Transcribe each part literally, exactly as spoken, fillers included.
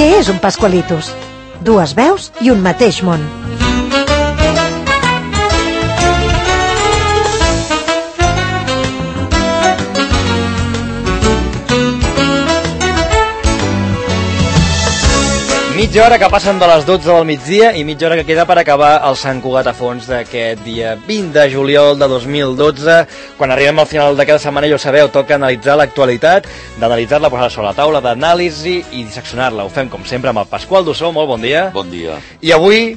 Què és un Pascualitos? Dues veus i un mateix món. Mitja hora que passen de les dotze del migdia i mitja hora que queda per acabar el Sant Cugat a fons d'aquest dia vint de juliol de dos mil dotze. Quan arribem al final de cada setmana, ja ho sabeu, toca analitzar l'actualitat, d'analitzar-la, posar-la sobre la taula d'anàlisi i disseccionar-la. Ho fem, com sempre, amb el Pasqual Dussó. Molt bon dia. Bon dia. I avui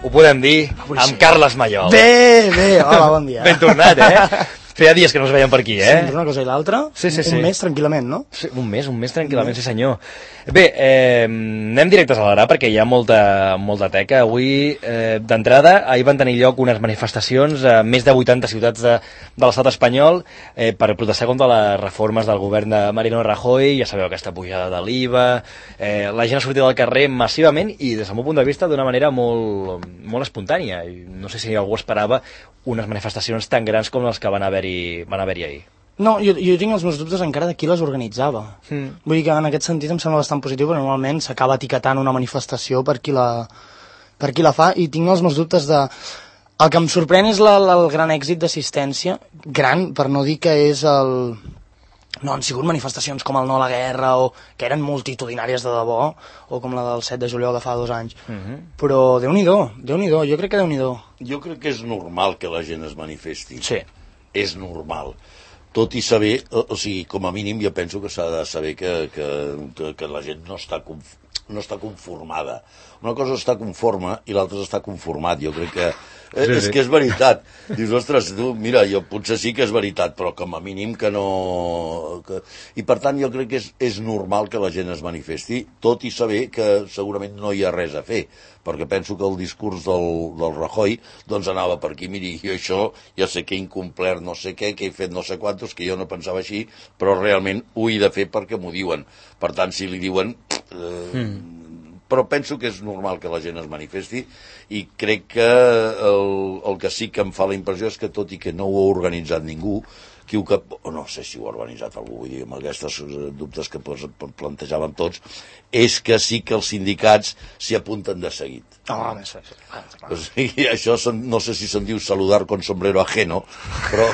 ho podem dir avui amb sí. Carles Mallol. Bé, bé, hola, bon dia. Ben tornat, eh? Feia dies que no es veien per aquí, eh? Sí, una cosa i l'altra. Sí, sí, sí. Un mes tranquil·lament, no? Sí, un mes, un mes tranquil·lament, sí senyor. Bé, eh, anem directes a l'ara perquè hi ha molta, molta teca. Avui, eh, d'entrada, ahir van tenir lloc unes manifestacions a més de vuitanta ciutats de, de l'estat espanyol eh, per protestar contra les reformes del govern de Mariano Rajoy. Ja sabeu, aquesta pujada de l'I V A. Eh, la gent ha sortit al carrer massivament i, des del meu punt de vista, d'una manera molt, molt espontània. I no sé si algú esperava unes manifestacions tan grans com les que van haver-hi van haver-hi ahir. No, jo, jo tinc els meus dubtes encara de qui les organitzava. Mm. Vull dir que en aquest sentit em sembla bastant positiu, però normalment s'acaba etiquetant una manifestació per qui la, per qui la fa, i tinc els meus dubtes de... El que em sorprèn és la, la, el gran èxit d'assistència, gran, per no dir que és el... No, han sigut manifestacions com el No a la Guerra, o que eren multitudinàries de debò, o com la del set de juliol de fa dos anys. Mm-hmm. Però Déu-n'hi-do, Déu-n'hi-do, jo crec que Déu-n'hi-do. Jo crec que és normal que la gent es manifesti. Sí. És normal. Tot i saber, o, o sigui, com a mínim jo penso que s'ha de saber que, que, que, que la gent no està, conf, no està conformada. Una cosa està conforme i l'altra està conformat. Jo crec que eh, sí, és sí. que és veritat. Dius, ostres, tu, mira, jo potser sí que és veritat, però com a mínim que no... Que... I per tant jo crec que és, és normal que la gent es manifesti, tot i saber que segurament no hi ha res a fer, perquè penso que el discurs del, del Rajoy doncs anava per aquí, miri, jo això ja sé que he incomplert no sé què, que he fet no sé quantos, que jo no pensava així, però realment ho he de fer perquè m'ho diuen. Per tant, si li diuen... Eh, mm. Però penso que és normal que la gent es manifesti i crec que el, el que sí que em fa la impressió és que, tot i que no ho ha organitzat ningú, qui ho que... no sé si ho ha organitzat algú, vull dir, amb aquests dubtes que plantejàvem tots, és que sí que els sindicats s'hi apunten de seguit. Oh, més sí, sí. O sigui, això son, no sé si se'n diu saludar con sombrero ajeno, però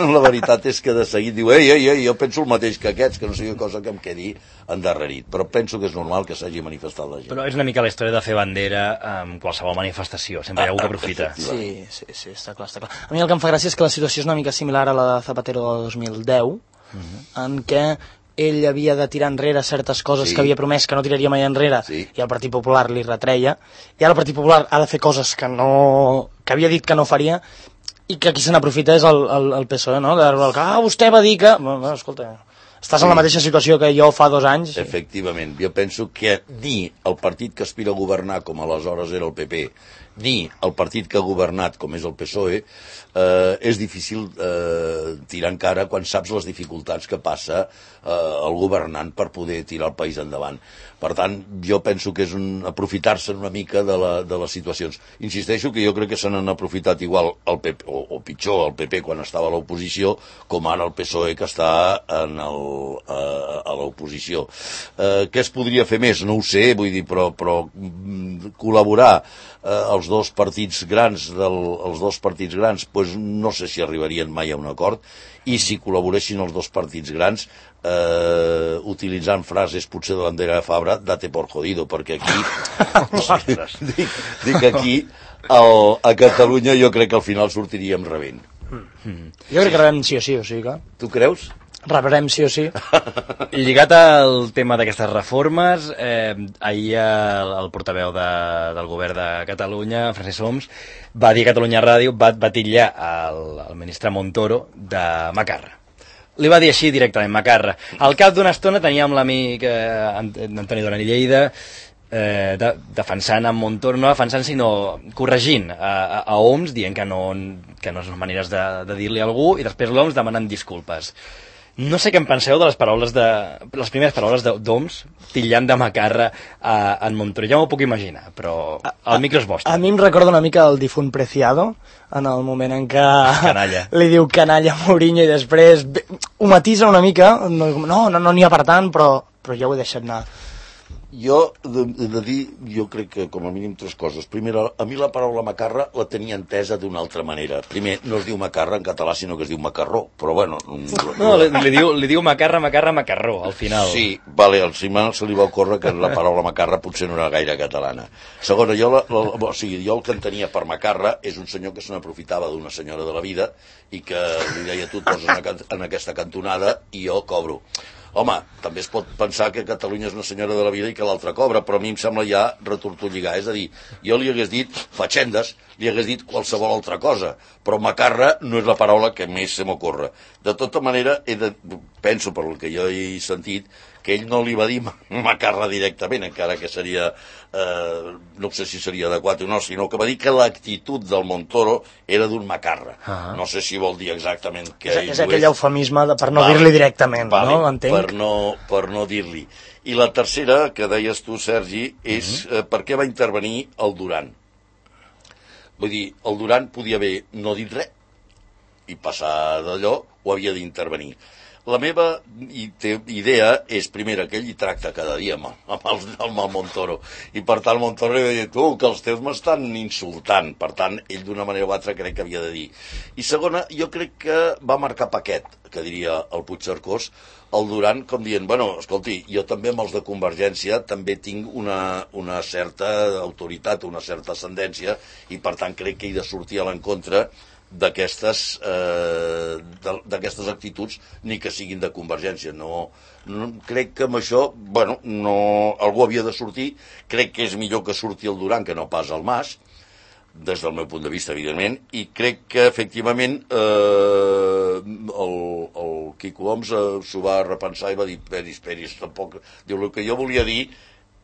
la veritat és que de seguit diu ei, ei, ei, jo penso el mateix que aquests, que no sigui cosa que em quedi endarrerit, però penso que és normal que s'hagi manifestat la gent. Però és una mica la història de fer bandera amb qualsevol manifestació, sempre hi ha algú que aprofita. Sí, sí, sí, està clar, està clar. A mi el que em fa gràcia és que la situació és una mica similar a la de Zapatero del dos mil deu, uh-huh. en què ell havia de tirar enrere certes coses sí. que havia promès que no tiraria mai enrere, sí. i el Partit Popular li retreia, i ara el Partit Popular ha de fer coses que no que havia dit que no faria, i que qui se n'aprofita és el, el, el P S O E, no? Que, ah, vostè va dir que... Bueno, escolta, estàs en la mateixa situació que jo fa dos anys. Efectivament, jo penso que ni el partit que aspira a governar, com aleshores era el P P, ni el partit que ha governat, com és el P S O E, eh, és difícil eh, tirar encara quan saps les dificultats que passa eh, el governant per poder tirar el país endavant. Per tant, jo penso que és un aprofitar-se una mica de, la, de les situacions. Insisteixo que jo crec que se n'han aprofitat igual el P P, o, o pitjor el P P quan estava a l'oposició, com ara el P S O E que està en el, eh, a l'oposició. Eh, què es podria fer més? No ho sé, vull dir, però, però mm, col·laborar eh, els dos partits grans, del, els dos partits grans, doncs no sé si arribarien mai a un acord, i si col·laboressin els dos partits grans, eh, utilitzant frases potser de l'Andrea Fabra, date por jodido, perquè aquí dic, dic aquí el, a Catalunya jo crec que al final sortiríem rebent. Mm. Jo crec que rebem sí o sí, o sigui que... Tu creus? Rebrem sí o sí. Lligat al tema d'aquestes reformes, eh, ahir el, el portaveu de, del govern de Catalunya, Francesc Homs, va dir a Catalunya Ràdio, va, va titllar el, el ministre Montoro de macarra. Li va dir així directament, macarra. Al cap d'una estona teníem l'amic eh, Antoni Duran i Lleida eh, de, defensant en Montoro, no defensant sinó corregint a, a, a Homs, dient que no, que no són maneres de, de dir-li a algú, i després l'Homs demanant disculpes. No sé què en penseu de les paraules de... les primeres paraules d'Homs titllant de macarra a, a en Montoro. Ja m'ho puc imaginar, però el micro és vostre. A, a mi em recorda una mica el difunt Preciado, en el moment en què canalla. li diu canalla a Mourinho i després ho matisa una mica, no, no, no n'hi ha per tant, però, però ja ho he deixat anar. Jo he de, de dir, jo crec que com a mínim tres coses. Primera, a mi la paraula macarra la tenia entesa d'una altra manera. Primer, no es diu macarra en català, sinó que es diu macarró, però bueno... No, li, li, diu, li diu macarra, macarra, macarró, al final. Sí, vale, al Simán se li va ocórrer que la paraula macarra potser no era gaire catalana. Segona, jo, la, la, o sigui, jo el que entenia per macarra és un senyor que se n'aprofitava d'una senyora de la vida i que li deia, tu et poses en, en aquesta cantonada i jo cobro. Home, també es pot pensar que Catalunya és una senyora de la vida i que l'altra cobra, però a mi em sembla ja retortolligar. És a dir, jo li hagués dit fatxendes, li hagués dit qualsevol altra cosa, però macarra no és la paraula que més se m'ocorre. De tota manera, he de, penso per el que jo he sentit, que ell no li va dir macarra directament, encara que seria, eh, no sé si seria adequat o no, sinó que va dir que l'actitud del Montoro era d'un macarra. Uh-huh. No sé si vol dir exactament que és, és aquell eufemisme de, per no vale, dir-li directament, vale, no? Entenc. Per no, per no dir-li. I la tercera, que deies tu, Sergi, és uh-huh. eh, per què va intervenir el Duran. Vull dir, el Duran podia haver no dit res i passar d'allò, o havia d'intervenir. La meva idea és, primera, que ell hi tracta cada dia amb, amb, el, amb el Montoro. I per tant, el Montoro li deia, tu, que els teus m'estan insultant. Per tant, ell d'una manera o altra crec que havia de dir. I segona, jo crec que va marcar paquet, que diria el Puigcercós, el Duran, com dient, bueno, escolti, jo també amb els de Convergència també tinc una, una certa autoritat, una certa ascendència, i per tant crec que he de sortir a l'encontre d'aquestes eh, d'aquestes actituds, ni que siguin de Convergència. No, no, crec que amb això, bueno, no, algú havia de sortir. Crec que és millor que surti el Duran que no pas el Mas, des del meu punt de vista, evidentment, i crec que, efectivament, eh, el, el Quico Homs eh, s'ho va repensar i va dir, peris, peris, tampoc... Diu, el que jo volia dir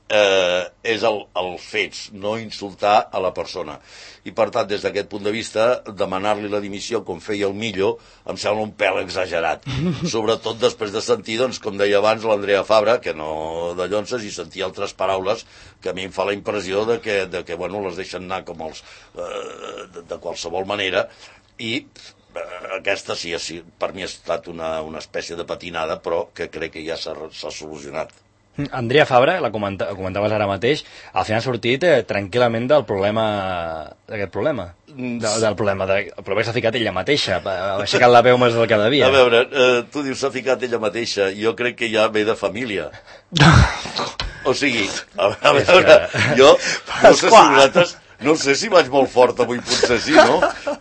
eh, és el, el fets, no insultar a la persona. I, per tant, des d'aquest punt de vista, demanar-li la dimissió, com feia el Millo, em sembla un pèl exagerat. Sobretot després de sentir, doncs, com deia abans, l'Andrea Fabra, que no de llonces, i sentir altres paraules que a mi em fa la impressió de que, de que bueno, les deixen anar com els... Eh, de, de qualsevol manera, i eh, aquesta sí, sí, per mi ha estat una, una espècie de patinada, però que crec que ja s'ha solucionat. Andrea Fabra, la comenta, comentaves ara mateix, al final ha sortit eh, tranquil·lament del problema, d'aquest problema. De, del problema, de, el problema que s'ha ficat ella mateixa, ha aixecat la veu més del que devia. A veure, eh, tu dius s'ha ficat ella mateixa, jo crec que ja ve de família. O sigui, a, a veure, jo no sé si vosaltres... No sé si vaig molt fort avui, potser sí, no?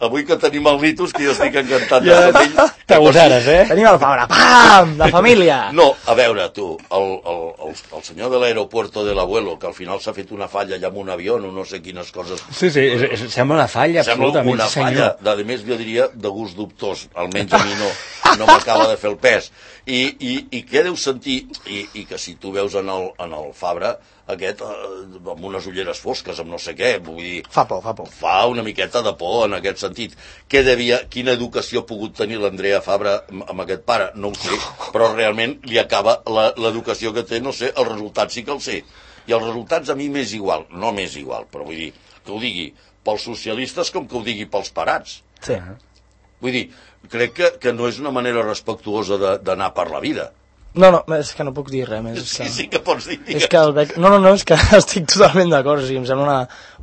Avui que tenim el Litus, que jo estic encantat ja, de ell. T'agosares, eh? Tenim el Fabra, pam, de família. No, a veure, tu, el, el, el, el senyor de l'aeropuerto de l'abuelo, que al final s'ha fet una falla allà amb un avió, o no sé quines coses... Sí, sí, és, és, sembla una falla, sembla absolutament, una senyor. falla, a més jo diria de gust dubtós, almenys a mi no, no m'acaba de fer el pes. I, i, i què deu sentir, i, i que si tu veus en el, en el Fabra, aquest, eh, amb unes ulleres fosques, amb no sé què, vull dir... Fa por, fa por. Fa una miqueta de por en aquest sentit. Què devia, quina educació ha pogut tenir l'Andrea Fabra amb, amb aquest pare? No ho sé, però realment li acaba l'educació que té, no sé, el resultat sí que el sé. I els resultats a mi m'és igual, no m'és igual, però vull dir, que ho digui pels socialistes com que ho digui pels parats. Sí. Vull dir, crec que, que no és una manera respectuosa d'anar per la vida. No, no, és que no puc dir res més. Sí, que... sí que pots dir. És que el bec... No, no, no, és que estic totalment d'acord, o sigui, em sembla una,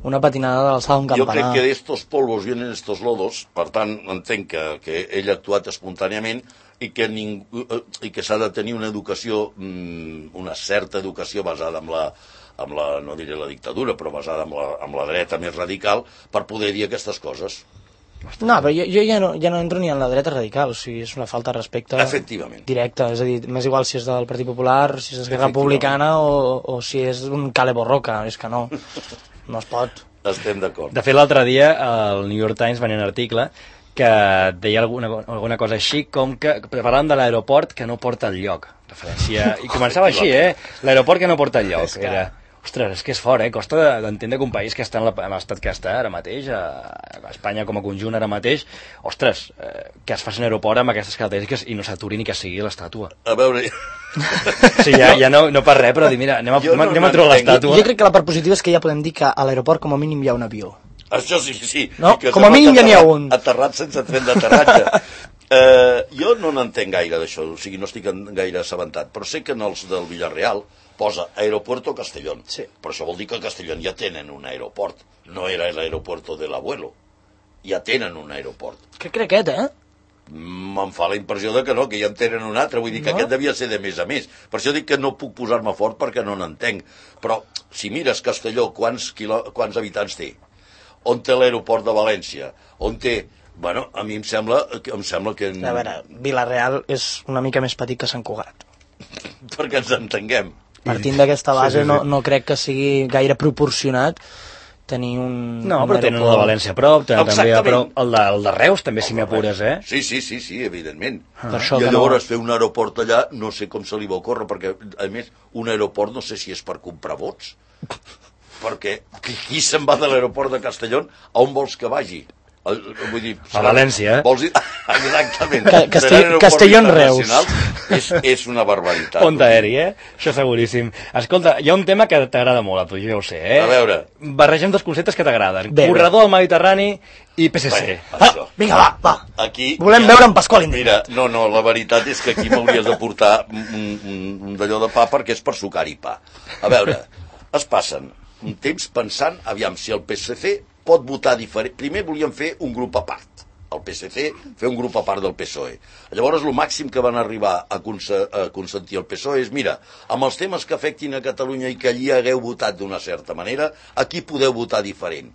una patinada de l'alçada d'un campanar. Jo crec que d'estos polvos vienen estos lodos, per tant, entenc que, que ell ha actuat espontàniament i que, ningú, i que s'ha de tenir una educació, una certa educació basada en la, amb la, no diré la dictadura, però basada en la, en la dreta més radical, per poder dir aquestes coses. No, però jo, jo ja, no, ja no entro ni en la dreta radical, o sigui, és una falta de respecte directa, és a dir, m'és igual si és del Partit Popular, si és Esquerra Republicana o, o si és un Cale Borroca, és que no, no es pot. Estem d'acord. De fet, l'altre dia el New York Times venia un article que deia alguna, alguna cosa així com que parlàvem de l'aeroport que no porta enlloc, referència, i començava així, eh? L'aeroport que no porta enlloc, que... era... Ostres, és que és fort, eh? Costa d'entendre que un país que està en l'estat que està ara mateix, a Espanya com a conjunt ara mateix, ostres, eh, que es faci un aeroport amb aquestes característiques i no s'aturi ni que sigui l'estàtua. A veure... Sí, ja, ja no, no per res, però dir, mira, anem a, no anem a trobar l'estàtua. Jo crec que la part positiva és que ja podem dir que a l'aeroport com a mínim hi ha un avió. Això sí, sí. No? Com a mínim ja n'hi ha un. Aterrat sense tren d'aterratge. Eh, jo no n'entenc gaire d'això, o sigui, no estic gaire assabentat, però sé que en els del Villarreal posa Aeropuerto Castellón. Sí. Però això vol dir que a Castellón ja tenen un aeroport. No era l'aeropuerto de l'abuelo. Ja tenen un aeroport. Crec que era aquest, eh? Me'n fa la impressió de que no, que ja en tenen un altre, vull dir que no? Aquest devia ser de més a més. Per això dic que no puc posar-me fort perquè no n'entenc. Però si mires Castelló, quants, quilo... quants habitants té? On té l'aeroport de València? On té... Bueno, a mi em sembla, em sembla que... A veure, Vila-real és una mica més petit que Sant Cugat. Perquè ens entenguem. Partint d'aquesta base, sí, sí, sí. No, no crec que sigui gaire proporcionat tenir un... No, però un tenen el de València a prop, també a prop, el de, el de Reus també, si m'hi apures, eh? Sí, sí, sí, sí, evidentment. Ah. I llavors no... fer un aeroport allà, no sé com se li va ocórrer, perquè, a més, un aeroport no sé si és per comprar vots, perquè qui se'n va de l'aeroport de Castellón, a on vols que vagi? El, vull dir, a València, eh? Vols dir... Exactament. Ca Castell Castellón-Reus. És, és una barbaritat. Pont aeri, eh? Això seguríssim. Escolta, hi ha un tema que t'agrada molt a tu, jo ho sé, eh? A veure. Barregem dos conceptes que t'agraden. Corredor al Mediterrani i P S C. Bé, ah, vinga, va, va. Aquí, volem ja, veure en Pasqual Indret. Mira, no, no, la veritat és que aquí m'hauries de portar un, un, un d'allò de pa perquè és per sucar-hi pa. A veure, es passen un temps pensant, aviam, si el P S C pot votar diferent. Primer volíem fer un grup a part, el P S C fer un grup a part del P S O E. Llavors el màxim que van arribar a, cons a consentir el P S O E és, mira, amb els temes que afectin a Catalunya i que allí hagueu votat d'una certa manera, aquí podeu votar diferent.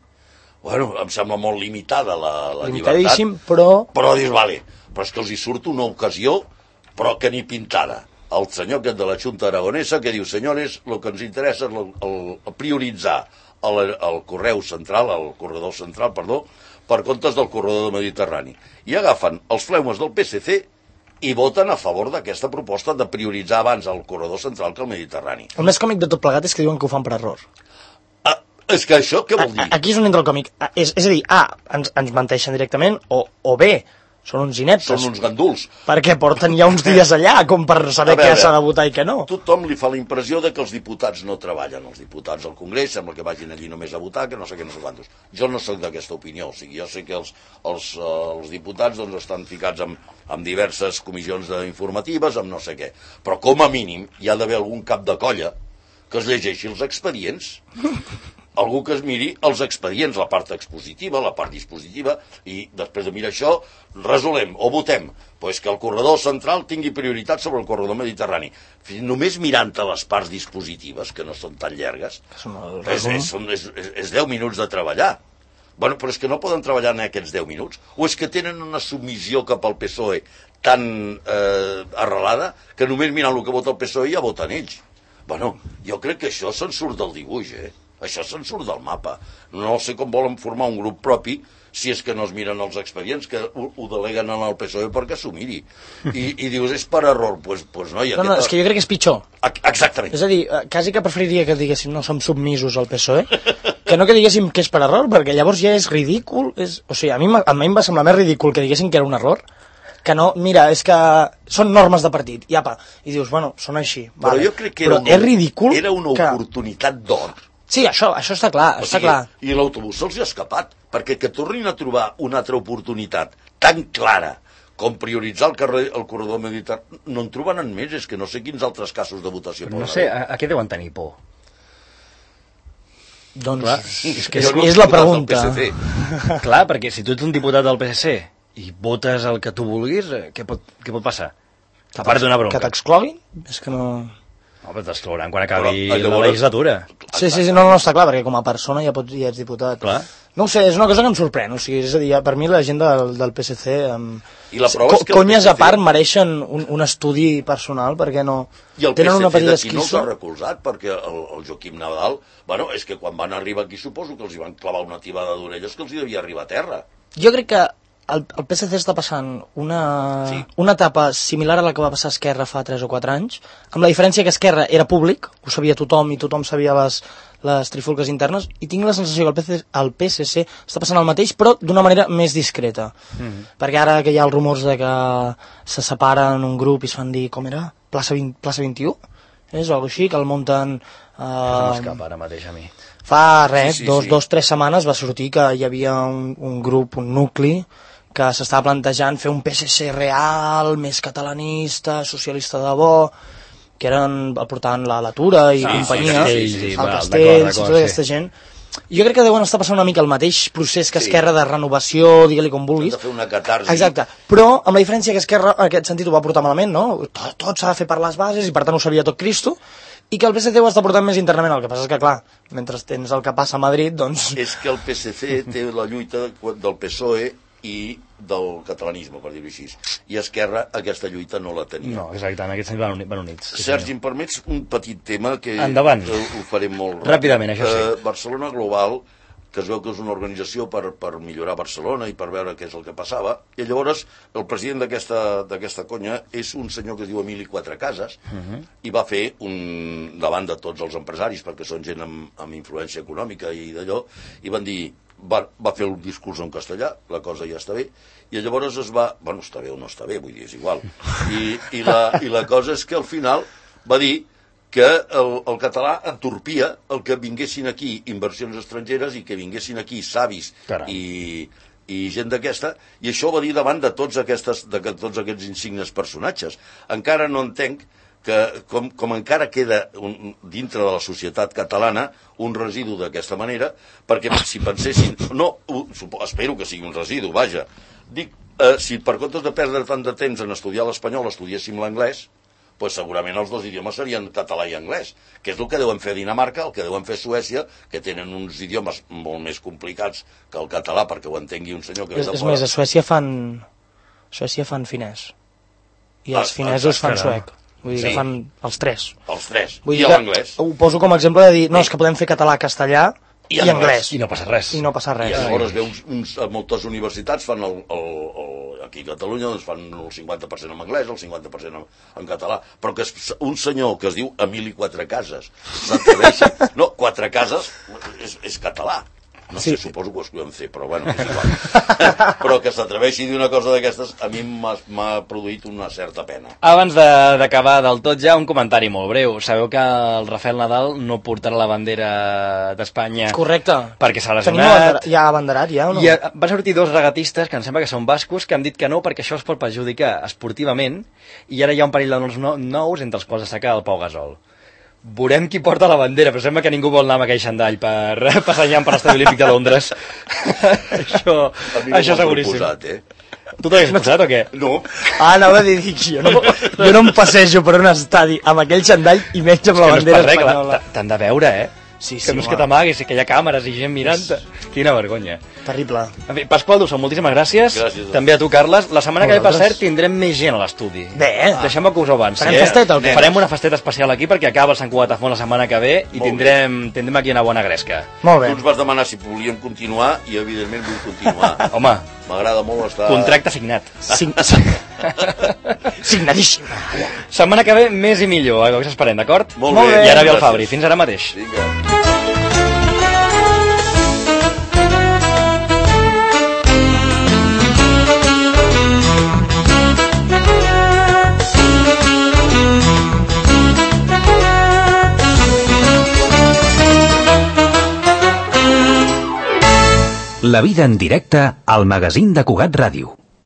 Bueno, em sembla molt limitada la, la llibertat, però... però dius, vale, però és que els hi surt una ocasió, però que ni pintada. El senyor aquest de la Junta Aragonesa que diu, senyores, el que ens interessa és el, el, el prioritzar el, el correu central, el corredor central, perdó, per comptes del corredor del Mediterrani. I agafen els fleumes del P S C i voten a favor d'aquesta proposta de prioritzar abans el corredor central que el Mediterrani. El més còmic de tot plegat és que diuen que ho fan per error. Ah, és que això què vol dir? Aquí és on entra el còmic. És, és a dir, A, ens, ens menteixen directament, o, o B, són uns ineptes. Són uns ganduls. Perquè porten ja uns dies allà, com per saber veure, què s'ha de votar i què no. Tothom li fa la impressió de que els diputats no treballen. Els diputats al Congrés sembla que vagin allí només a votar, que no sé què, no sé quantos. Jo no soc d'aquesta opinió. O sigui, jo sé que els, els, els diputats doncs, estan ficats en, en diverses comissions informatives, amb no sé què. Però com a mínim hi ha d'haver algun cap de colla que es llegeixi els expedients. Algú que es miri els expedients, la part expositiva, la part dispositiva, i després de mirar això, resolem o votem pues que el corredor central tingui prioritat sobre el corredor mediterrani. Només mirant-te les parts dispositives, que no són tan llargues, és, és, és, és, és deu minuts de treballar. Bueno, però és que no poden treballar en aquests deu minuts. O és que tenen una submissió cap al P S O E tan eh, arrelada que només mirant el que vota el P S O E ja voten ells. Bueno, jo crec que això se'n surt del dibuix, eh? Això se'n surt del mapa. No sé com volen formar un grup propi si és que no es miren els expedients, que ho, ho deleguen al P S O E perquè s'ho miri. I, i dius, és per error. Pues, pues no, no, no, és que jo crec que és pitjor. Exactament. És a dir, quasi que preferiria que diguéssim no som submisos al P S O E, que no que diguéssim que és per error, perquè llavors ja és ridícul. És... O sigui, a mi, a mi em va semblar més ridícul que diguéssim que era un error, que no, mira, és que són normes de partit, i apa, i dius, bueno, són així. Però vale. jo crec que era, Però una, és ridícul era una que... oportunitat d'or. Sí, això, això està clar, o està sigui, clar. I l'autobús se'ls ha escapat, perquè que tornin a trobar una altra oportunitat tan clara com prioritzar el, carrer, el corredor mediterrani, no en troben més, és que no sé quins altres casos de votació. No sé, a, a què deuen tenir por? Doncs, clar, és que és, no és la pregunta. Clar, perquè si tu ets un diputat del P S C i votes el que tu vulguis, què pot, què pot passar? A part d'una bronca. Que t'excloguin? És que no... No, però t'exclouran quan acabi però, la legislatura. Sí, sí, sí, no, no està clar, perquè com a persona ja, pots, ja ets diputat. Clar. No ho sé, és una cosa que em sorprèn, o sigui, és a dir, per mi la gent del, del P S C... Um, I la prova és que conyes P S C... a part mereixen un, un estudi personal, perquè no... I el tenen P S C una petita d'aquí esquizo. no els ha recolzat, perquè el, el Joaquim Nadal... Bueno, és que quan van arribar aquí suposo que els hi van clavar una tibada d'orelles que els hi devia arribar a terra. Jo crec que el, el P S C està passant una, sí. una etapa similar a la que va passar Esquerra fa tres o quatre anys, amb la diferència que Esquerra era públic, ho sabia tothom i tothom sabia les, les trifulques internes, i tinc la sensació que el P S C, el P S C està passant el mateix, però d'una manera més discreta. Mm-hmm. Perquè ara que hi ha els rumors de que se separen un grup i es fan dir, com era? Plaça, vint, plaça vint-i-u? És o alguna cosa així, que el munten... Uh, no m'escapa ara mateix a mi. Fa res, sí, sí, dos, sí. dos, tres setmanes va sortir que hi havia un, un grup, un nucli, que s'estava plantejant fer un P S C real, més catalanista, socialista de bo, que eren, el portaven la, la Tura i sí, companyia, sí, sí, sí, el va, Castells, d'acord, tota aquesta sí. gent. Jo crec que deuen estar passant una mica el mateix procés que Esquerra sí. de renovació, digue-li com vulguis. De fer una catarsi. Exacte, però amb la diferència que Esquerra en aquest sentit ho va portar malament, no? Tot, tot s'ha de fer per les bases i per tant ho sabia tot Cristo, i que el P S C ho està portant més internament. El que passa és que, clar, mentre tens el que passa a Madrid, doncs... És que el P S C té la lluita del P S O E i del catalanisme, per dir-ho així. I Esquerra aquesta lluita no la tenia. No, exacte, en aquest sentit van, van units. Sí, Sergi, em permets un petit tema que Endavant. ho faré molt ràpid. Ràpidament, això sí. Uh, Barcelona Global, que es veu que és una organització per, per millorar Barcelona i per veure què és el que passava, i llavors el president d'aquesta conya és un senyor que es diu Emili Quatrecases, uh -huh. i va fer un, davant de tots els empresaris, perquè són gent amb, amb influència econòmica i d'allò, i van dir, va, va fer un discurs en castellà, la cosa ja està bé, i llavors es va, bueno, està bé o no està bé, vull dir, és igual, i, i, la, i la cosa és que al final va dir que el, el català entorpia el que vinguessin aquí inversions estrangeres i que vinguessin aquí savis i, i gent d'aquesta, i això ho va dir davant de tots, aquestes, de tots aquests insignes personatges. Encara no entenc que com, com encara queda un, dintre de la societat catalana un residu d'aquesta manera, perquè si pensessin, no, ho, espero que sigui un residu, vaja, dic, eh, si per comptes de perdre tant de temps en estudiar l'espanyol estudiéssim l'anglès, pues segurament els dos idiomes serien català i anglès, que és el que deuen fer a Dinamarca, el que deuen fer a Suècia, que tenen uns idiomes molt més complicats que el català, perquè ho entengui un senyor que ve de fora. És fora. més, a Suècia fan... Suècia fan finès. I els ah, finesos fan suec. Vull dir sí. que fan els tres. Els tres. Vull I l'anglès. Ho poso com a exemple de dir, no, és que podem fer català, castellà i, i anglès. I no passa res. I no passa res. I llavors veus, uns, a moltes universitats fan el, el, el, aquí a Catalunya doncs fan el cinquanta per cent en anglès, el cinquanta per cent en, en català, però que és un senyor que es diu Emili Quatrecases s'atreveix, no, Quatrecases és, és català. No sí. sé, suposo que ho escrivem C, però bueno, és igual. Però que s'atreveixi a dir una cosa d'aquestes a mi m'ha produït una certa pena. Abans d'acabar de, del tot ja, un comentari molt breu. Sabeu que el Rafael Nadal no portarà la bandera d'Espanya... Correcte. Perquè s'ha lesionat. Tenim ja abanderat, ja, o no? I van sortir dos regatistes, que em sembla que són bascos, que han dit que no, perquè això es pot perjudicar esportivament, i ara hi ha un parell de nous, nous entre els quals destaca el Pau Gasol. Veurem qui porta la bandera, però sembla que ningú vol anar amb aquell xandall per passejar per l'Estadi Olímpic de Londres. això no això seguríssim. Proposat, eh? Tu t'havies posat o què? No. Ah, anava a dir, jo no, jo no em passejo per un estadi amb aquell xandall i menys amb la bandera no espanyola. T'han de veure, eh? Sí, sí, que no és que t'amaguis, que hi ha càmeres i gent mirant-te. Quina vergonya. Terrible. En fi, Pasqual Dussol, moltíssimes gràcies. Gràcies. També a tu, Carles. La setmana que ve, per cert, tindrem més gent a l'estudi. Bé. Deixem-me que us ho avanci. Farem eh? festeta o què? Farem una festeta especial aquí perquè acaba el Sant Cugat a Font la setmana que ve i tindrem, tindrem aquí una bona gresca. Molt bé. Tu ens vas demanar si volíem continuar i evidentment vull continuar. Home. M'agrada molt estar... Contracte signat. Sign... Signadíssim. Setmana que ve, més i millor. Això esperem, d'acord? Molt bé. I ara ve el Fabri. Fins ara mateix. Vinga. La vida en directe al magazín de Cugat Ràdio.